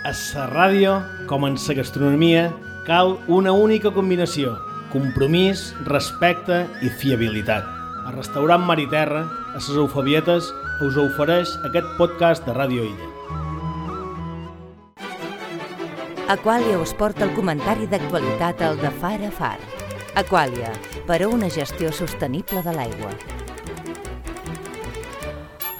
A la ràdio, com en la gastronomia, cal una única combinació: compromís, respecte i fiabilitat. El restaurant Mar i Terra, a les Eufabietes, us ofereix aquest podcast de Ràdio Illa. Aquàlia us porta el comentari d'actualitat al de Far a Far. Aquàlia, per a una gestió sostenible de l'aigua.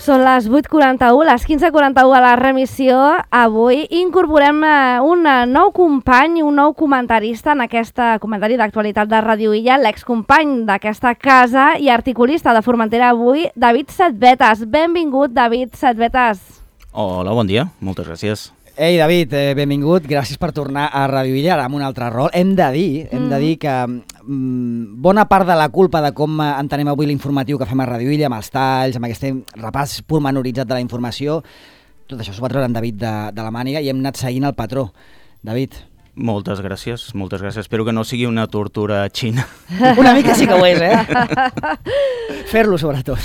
Són les 8:41, les 15:41 a la remissió. Avui incorporem un nou company, un nou comentarista en aquest comentari d'actualitat de Ràdio Illa, l'excompany d'aquesta casa i articulista de Formentera avui, David Setbetas. Benvingut, David Setbetas. Hola, bon dia, moltes gràcies. Ei, David, benvingut, gràcies per tornar a Ràdio Illa, ara amb un altre rol. Hem de dir que bona part de la culpa de com entenem avui l'informatiu que fem a Ràdio Illa, amb els talls, amb aquest repàs pormenoritzat de la informació, tot això s'ho va treure en David de la màniga i hem anat seguint el patró. David. Moltes gràcies. Espero que no sigui una tortura xina. Una mica sí que ho és, Fer-lo, sobretot.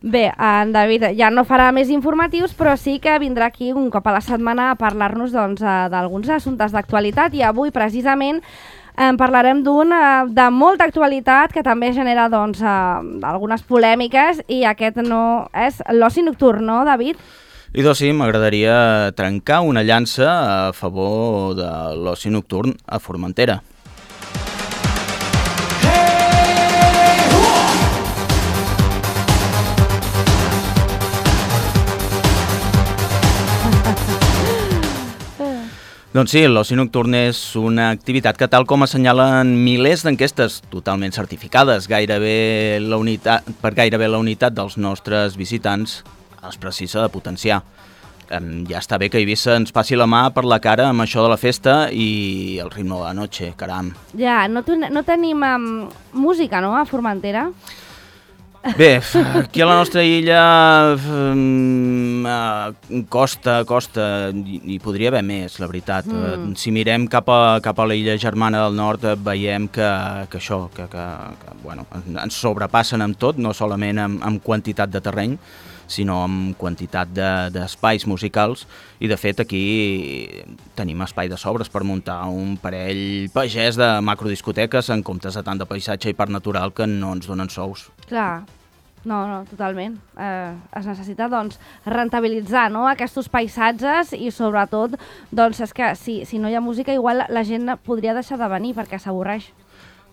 Bé, en David ja no farà més informatius, però sí que vindrà aquí un cop a la setmana a parlar-nos d'alguns assumptes d'actualitat, i avui precisament parlarem d'un de molta actualitat que també genera algunes polèmiques, i aquest no és l'oci nocturn, no, David? I doncs sí, m'agradaria trencar una llança a favor de l'oci nocturn a Formentera. Doncs sí, l'oci nocturn és una activitat que, tal com assenyalen milers d'enquestes totalment certificades per gairebé la unitat dels nostres visitants, es precisa de potenciar. Ja està bé que Eivissa ens passi la mà per la cara amb això de la festa i el ritme de la noche, caram. Ja, no tenim música, no, a Formentera? Bé, aquí a la nostra illa costa, i podria haver més, la veritat. Si mirem cap a la illa germana del nord, veiem que ens sobrepassen amb tot, no solament amb quantitat de terreny, sinó amb quantitat d'espais musicals, i de fet aquí tenim espai de sobres per muntar un parell pagès de macrodiscoteques en comptes de tant de paisatge i parc natural que no ens donen sous. Clar, no, totalment. Es necessita rentabilitzar, no, aquests paisatges, i sobretot és que si no hi ha música igual la gent podria deixar de venir perquè s'avorreix.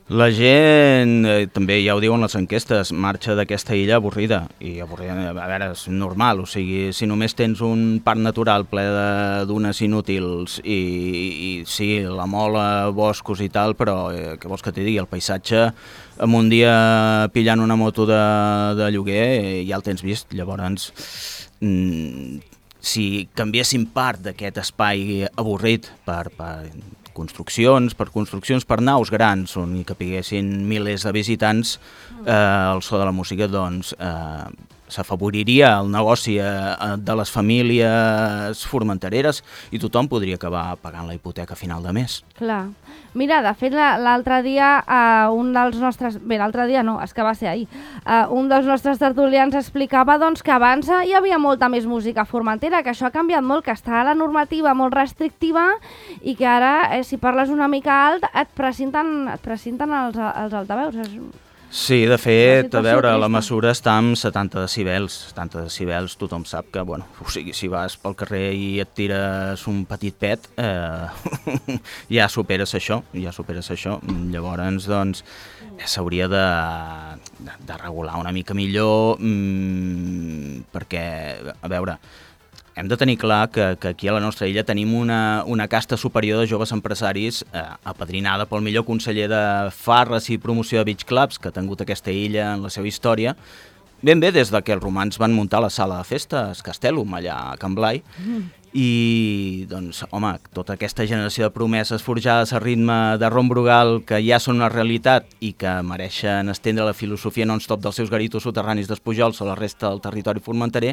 La gent, també ja ho diuen les enquestes, marxa d'aquesta illa avorrida, i avorrida, a veure, és normal, o sigui, si només tens un parc natural ple de dunes inútils i sí, la mola, boscos i tal, però què vols que t'hi digui, el paisatge, amb un dia pillant una moto de lloguer ja el tens vist, llavors si canviéssim part d'aquest espai avorrit per construccions per naus grans on hi capiguessin milers de visitants, el so de la música s'afavoriria el negoci de les famílies formentereres i tothom podria acabar pagant la hipoteca a final de mes. Clar. Mira, de fet, l'altre dia un dels nostres... Bé, l'altre dia no, és que va ser ahir. Un dels nostres tertulians explicava que abans hi havia molta més música a Formentera, que això ha canviat molt, que està la normativa molt restrictiva i que ara, si parles una mica alt, et presenten els altaveus. Sí, de fet, a veure, la mesura està amb 70 decibels. 70 decibels, tothom sap que, o sigui, si vas pel carrer i et tires un petit pet, ja superes això. Llavors, s'hauria de regular una mica millor, perquè, a veure, hem de tenir clar que aquí a la nostra illa tenim una casta superior de joves empresaris apadrinada pel millor conseller de farres i promoció de beach clubs que ha tingut aquesta illa en la seva història, ben bé des que els romans van muntar la sala de festes Castellum allà a Can Blai, i tota aquesta generació de promeses forjades a ritme de rom brugal que ja són una realitat i que mereixen estendre la filosofia non-stop dels seus garitos soterranis d'Espujols a la resta del territori formenterer,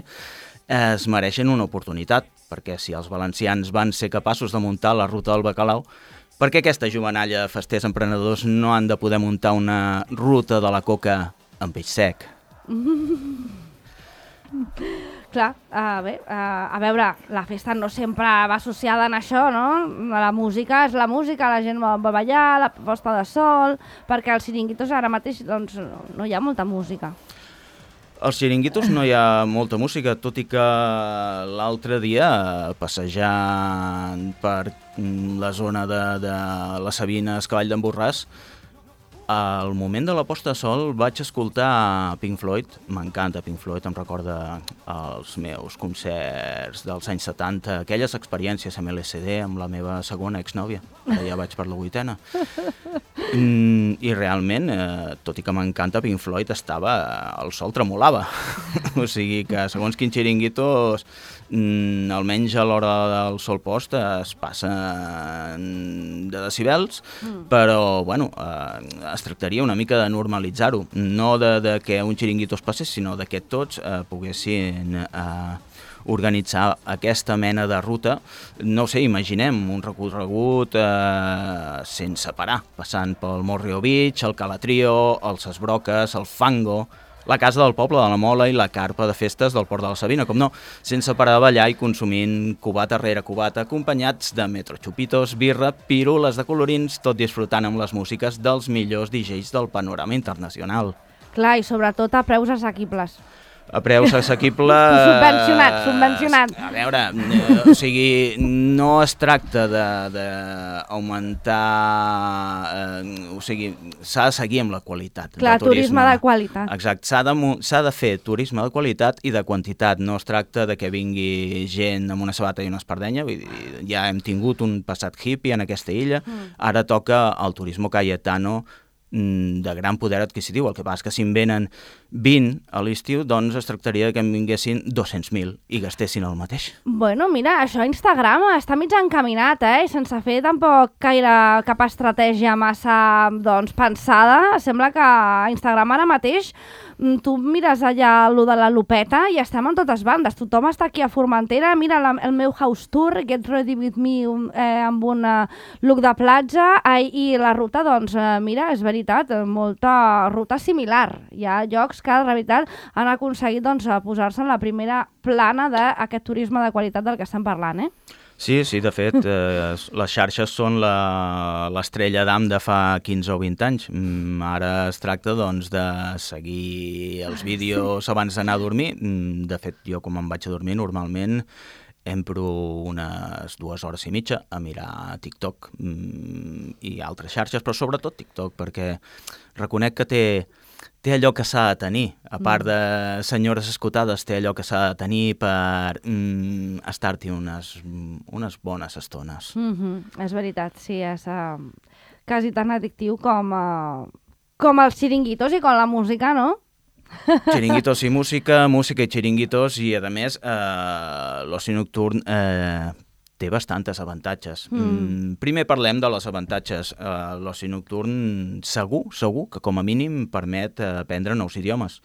es mereixen una oportunitat, perquè si els valencians van ser capaços de muntar la ruta del bacalao, per què aquesta jovenalla de festers emprenedors no han de poder muntar una ruta de la coca amb peix sec? Clar, bé, a veure, la festa no sempre va associada en això, no? La música és la música, la gent vol ballar, la posta de sol, perquè als xiringuitos ara mateix doncs, no hi ha molta música. Als xiringuitos no hi ha molta música, tot i que l'altre dia, passejant per la zona de les Sabines, Cavall d'en Borràs, al moment de la posta de sol vaig escoltar Pink Floyd. M'encanta Pink Floyd, em recorda els meus concerts dels anys 70, aquelles experiències amb LSD amb la meva segona exnòvia, ara ja vaig per la 8ª. I realment, tot i que m'encanta Pink Floyd, el sol tremolava. O sigui que segons quins xiringuitos, almenys a l'hora del sol post es passen de decibels, però bueno, es tractaria una mica de normalitzar-ho, no de que un xiringuito es passés, sinó de que tots poguessin organitzar aquesta mena de ruta. No ho sé, imaginem un recorregut sense parar, passant pel Morro Beach, el Calatrio, els Esbroques, el Fango, la Casa del Poble de la Mola i la carpa de festes del Port de la Sabina, com no, sense parar de ballar i consumint cubata rere cubata, acompanyats de metro chupitos, birra, pirules de colorins, tot disfrutant amb les músiques dels millors DJs del panorama internacional. Clar, i sobretot a preus assequibles. A preus assequibles... Subvencionat. A veure, o sigui, no es tracta d'augmentar... O sigui, s'ha de seguir amb la qualitat. Clar, turisme de qualitat. Exacte, s'ha de fer turisme de qualitat i de quantitat. No es tracta de que vingui gent amb una sabata i una espardenya. Vull dir, ja hem tingut un passat hippie en aquesta illa. Ara toca el turisme cayetano de gran poder adquisitiu. El que passa és que si en venen 20 a l'estiu, doncs es tractaria que en vinguessin 200.000 i gastessin el mateix. Bueno, mira, això a Instagram està mig encaminat, sense fer tampoc gaire cap estratègia massa pensada. Sembla que a Instagram ara mateix tu mires allà allò de la lupeta i estem en totes bandes. Tothom està aquí a Formentera, mira el meu house tour, Get Ready With Me, amb un look de platja, i la ruta, doncs, mira, és veritat, molta ruta similar. Hi ha llocs que, de veritat, han aconseguit posar-se en la primera plana d'aquest turisme de qualitat del que estem parlant, Sí, de fet, les xarxes són l'estrella d'am de fa 15 o 20 anys. Ara es tracta, doncs, de seguir els vídeos abans d'anar a dormir. De fet, jo, com em vaig a dormir, normalment empro unes 2 hores i mitja a mirar TikTok i altres xarxes, però sobretot TikTok, perquè reconec que té allò que s'ha de tenir, a part de senyores escotades, té allò que s'ha de tenir per estar-hi unes bones estones. És veritat, sí, és quasi tan addictiu com els xiringuitos i com la música, no? Xiringuitos i música, música i xiringuitos, i a més l'oci nocturn té bastantes avantatges. Primer parlem de les avantatges. L'oci nocturn segur que com a mínim permet aprendre nous idiomes.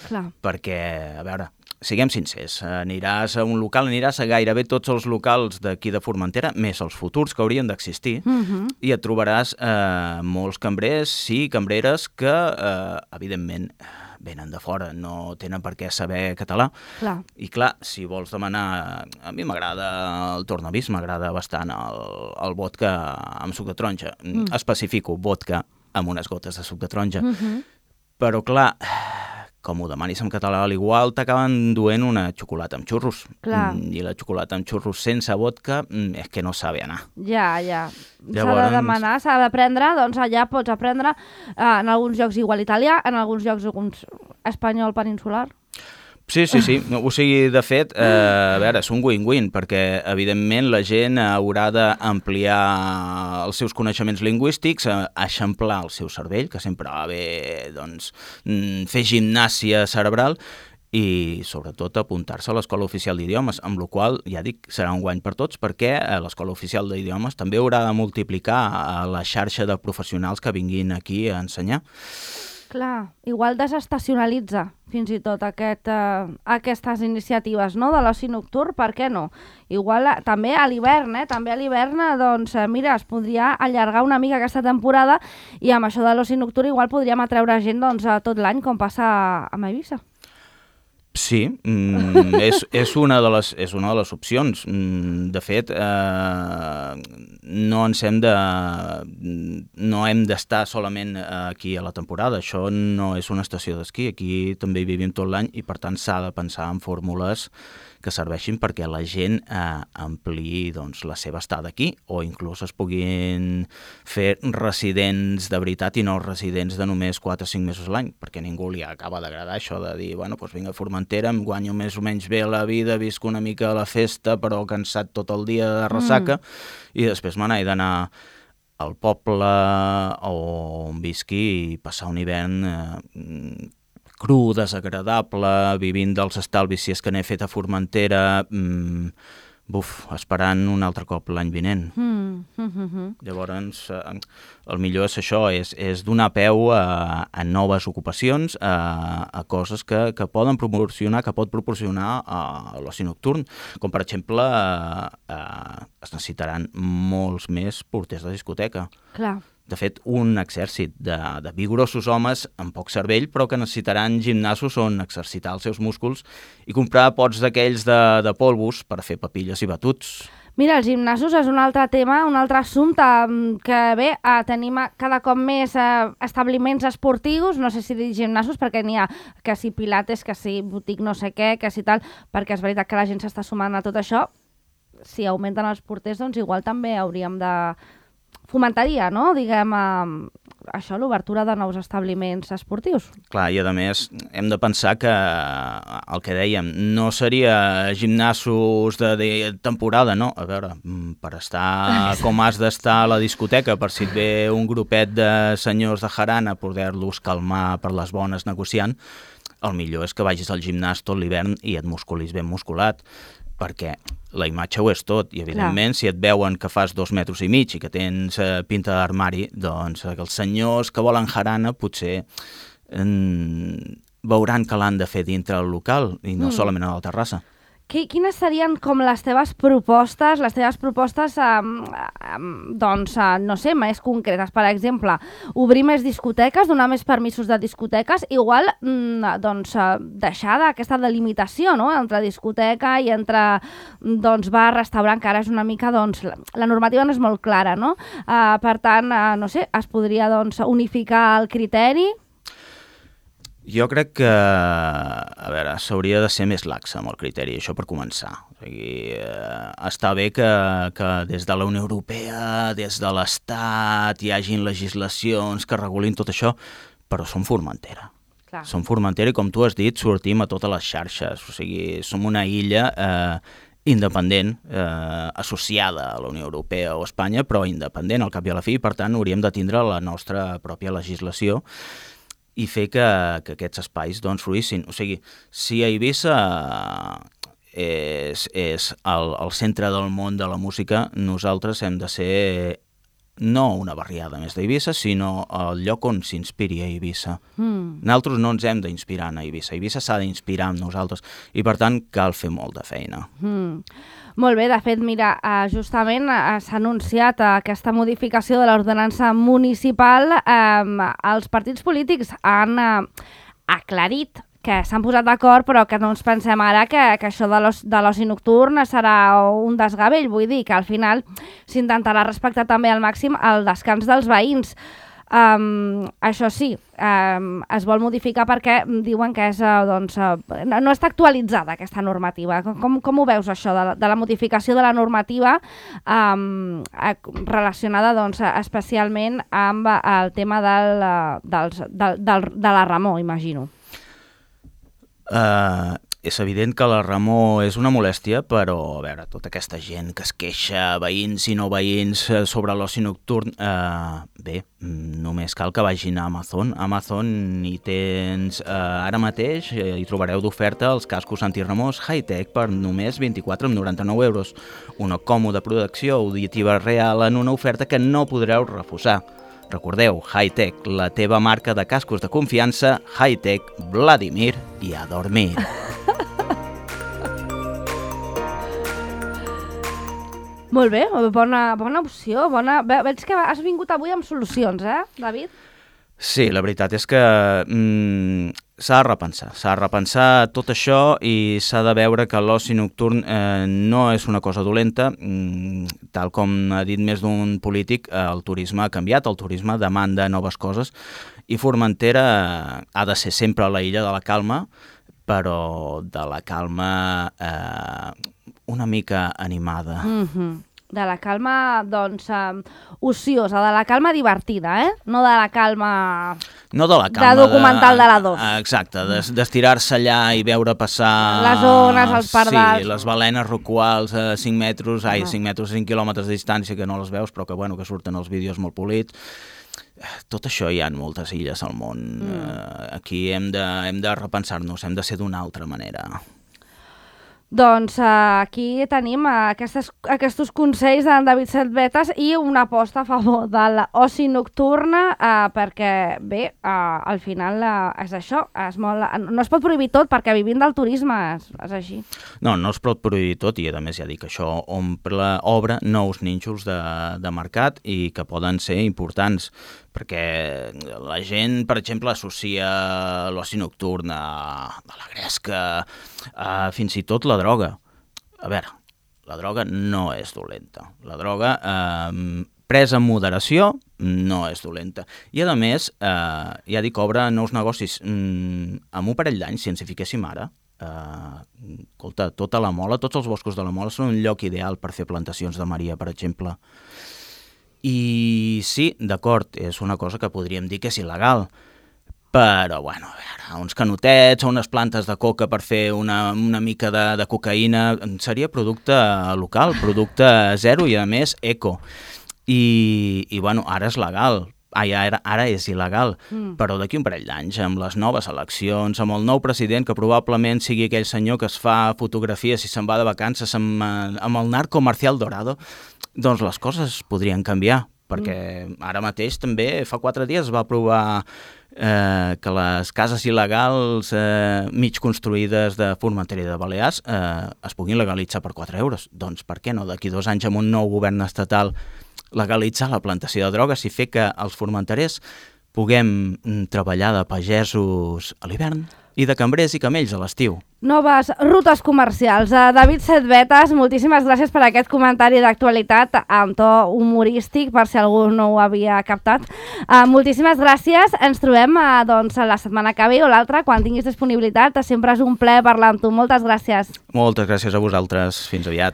Clar. Perquè, a veure, siguem sincers, aniràs a un local, aniràs a gairebé tots els locals d'aquí de Formentera, més els futurs que haurien d'existir, i et trobaràs molts cambrers i cambreres que, evidentment, venen de fora, no tenen per què saber català. Clar. I clar, si vols demanar... A mi m'agrada el tornavís, m'agrada bastant el vodka amb suc de taronja. Especifico vodka amb unes gotes de suc de taronja. Però clar, com ho demanis en català, a l'igual t'acaben duent una xocolata amb xurros. Clar. I la xocolata amb xurros sense vodka és que no sabe anar. Ja. S'ha de demanar, s'ha d'aprendre, doncs allà pots aprendre en alguns llocs igual italià, en alguns llocs espanyol peninsular. Sí. O sigui, de fet, a veure, és un win-win, perquè, evidentment, la gent haurà d'ampliar els seus coneixements lingüístics, eixamplar el seu cervell, que sempre va bé, doncs, fer gimnàsia cerebral, i, sobretot, apuntar-se a l'Escola Oficial d'Idiomes, amb la qual, ja dic, serà un guany per tots, perquè l'Escola Oficial d'Idiomes també haurà de multiplicar la xarxa de professionals que vinguin aquí a ensenyar. Clar, igual desestacionalitza fins i tot aquestes iniciatives, no?, de l'oci nocturn, per què no? Igual també a l'hivern, doncs mira, es podria allargar una mica aquesta temporada i amb això de l'oci nocturn igual podríem atreure gent doncs, tot l'any com passa a Eivissa. Sí, és una de les opcions. De fet, no hem d'estar solament aquí a la temporada. Això no és una estació d'esquí. Aquí també hi vivim tot l'any i, per tant, s'ha de pensar en fórmules que serveixin perquè la gent ampliï doncs, la seva estada aquí o inclús es puguin fer residents de veritat i no residents de només 4 o 5 mesos a l'any, perquè ningú li acaba d'agradar això de dir, bueno, doncs vinc a Formentera, em guanyo més o menys bé la vida, visc una mica a la festa, però cansat tot el dia de ressaca, i després me n'he d'anar al poble on visqui i passar un hivern cru, desagradable, vivint dels estalvis si és que n'he fet a Formentera, esperant un altre cop l'any vinent. Llavors, el millor és això, és donar peu a noves ocupacions, a coses que poden proporcionar, que pot proporcionar l'oci nocturn, com per exemple es necessitaran molts més porters de discoteca. Clar. De fet, un exèrcit de vigorosos homes amb poc cervell, però que necessitaran gimnasos on exercitar els seus músculs i comprar pots d'aquells de polvos per fer papilles i batuts. Mira, els gimnasos és un altre tema, un altre assumpte que bé, tenim cada cop més establiments esportius, no sé si dir gimnasos perquè n'hi ha que si pilates, que si botic no sé què, que si tal, perquè és veritat que la gent s'està sumant a tot això. Si augmenten els porters, doncs igual també hauríem de fomentaria, no?, diguem, això, l'obertura de nous establiments esportius. Clar, i a més hem de pensar que el que dèiem no seria gimnasos de temporada, no? A veure, per estar com has d'estar a la discoteca, per si et ve un grupet de senyors de jarana, poder-los calmar per les bones negociant, el millor és que vagis al gimnàs tot l'hivern i et musculis ben musculat, perquè la imatge ho és tot, i evidentment si et veuen que fas 2,5 metres i que tens pinta d'armari, doncs els senyors que volen jarana potser veuran que l'han de fer dintre el local i no solament a la terrassa. Quines serien com les teves propostes, doncs, no sé, més concretes? Per exemple, obrir més discoteques, donar més permisos de discoteques, igual, doncs, deixar aquesta delimitació, no?, entre discoteca i entre, doncs, bar, restaurant, que ara és una mica, doncs, la normativa no és molt clara, no? Per tant, no sé, es podria, doncs, unificar el criteri? Jo crec que, a veure, s'hauria de ser més laxa amb el criteri, això per començar. O sigui, està bé que des de la Unió Europea, des de l'Estat, hi hagin legislacions que regulin tot això, però som Formentera. Clar. Som Formentera i, com tu has dit, sortim a totes les xarxes. O sigui, som una illa independent, associada a la Unió Europea o Espanya, però independent al cap i a la fi, i per tant hauríem de tindre la nostra pròpia legislació i fer que aquests espais doncs fluïssin. O sigui, si a Eivissa és el centre del món de la música, nosaltres hem de ser no una barriada més d'Eivissa, sinó el lloc on s'inspiri a Eivissa. Nosaltres no ens hem d'inspirar en Eivissa. Eivissa s'ha d'inspirar en nosaltres i, per tant, cal fer molt de feina. Molt bé, de fet, mira, justament s'ha anunciat aquesta modificació de l'ordenança municipal. Els partits polítics han aclarit que s'han posat d'acord, però que no ens pensem ara que això de l'oci nocturn serà un desgavell. Vull dir que al final s'intentarà respectar també al màxim el descans dels veïns. Això sí, es vol modificar perquè diuen que és, doncs, no està actualitzada aquesta normativa. Com ho veus, això, de la modificació de la normativa relacionada, doncs, especialment amb el tema de la remor, imagino? És evident que la remor és una molèstia, però, a veure, tota aquesta gent que es queixa, veïns i no veïns, sobre l'oci nocturn, bé, només cal que vagin a Amazon. A Amazon hi tens, ara mateix, hi trobareu d'oferta els cascos antiremors high-tech per només 24,99 euros. Una còmoda protecció auditiva real en una oferta que no podreu refusar. Recordeu, High-Tech, la teva marca de cascos de confiança, High-Tech, Vladimir i a dormir. Molt bé, bona opció. Veig que has vingut avui amb solucions, David? Sí, la veritat és que s'ha de repensar tot això i s'ha de veure que l'oci nocturn no és una cosa dolenta. Tal com ha dit més d'un polític, el turisme ha canviat, el turisme demanda noves coses i Formentera ha de ser sempre la illa de la calma, però de la calma una mica animada. De la calma, doncs, ociosa, de la calma divertida, no de la calma... No de la calma... De documental de la 2. Exacte, d'estirar-se allà i veure passar... Les ones, els pardals... Sí, les balenes rocuals a 5 metres, 5 quilòmetres de distància, que no les veus, però que surten els vídeos molt polits. Tot això hi ha moltes illes al món. Aquí hem de repensar-nos, hem de ser d'una altra manera. Doncs aquí tenim aquests consells d'en David Sedvetas i una aposta a favor de l'oci nocturna perquè, bé, al final és això, no es pot prohibir tot perquè vivint del turisme és així. No es pot prohibir tot i a més ja dic que això obre nous nínxols de mercat i que poden ser importants perquè la gent, per exemple, associa l'oci nocturn a la gresca, fins i tot la droga. A veure, la droga no és dolenta. La droga, presa amb moderació, no és dolenta. I, a més, ja dic, obre nous negocis. Amb un parell d'anys, si ens hi fiquéssim ara, escolta, tota la Mola, tots els boscos de la Mola són un lloc ideal per fer plantacions de Maria, per exemple. I sí, d'acord, és una cosa que podríem dir que és il·legal, però, bueno, a veure, uns canotets o unes plantes de coca per fer una mica de cocaïna seria producte local, producte zero i, a més, eco. I bueno, ara és legal, ara és il·legal, però d'aquí un parell d'anys, amb les noves eleccions, amb el nou president, que probablement sigui aquell senyor que es fa fotografies i se'n va de vacances amb el narco Marcial Dorado, doncs les coses podrien canviar, perquè ara mateix també, fa 4 dies, es va aprovar que les cases il·legals mig construïdes de Formentera i de Balears es puguin legalitzar per 4 euros. Doncs per què no, d'aquí 2 anys amb un nou govern estatal legalitzar la plantació de drogues i fer que els formenterers puguem treballar de pagesos a l'hivern i de cambrers i camells a l'estiu. Noves rutes comercials. David Sedvetas, moltíssimes gràcies per aquest comentari d'actualitat amb to humorístic, per si algú no ho havia captat. Moltíssimes gràcies. Ens trobem doncs, la setmana que ve o l'altra, quan tinguis disponibilitat. Sempre és un plaer parlar amb tu. Moltes gràcies. Moltes gràcies a vosaltres. Fins aviat.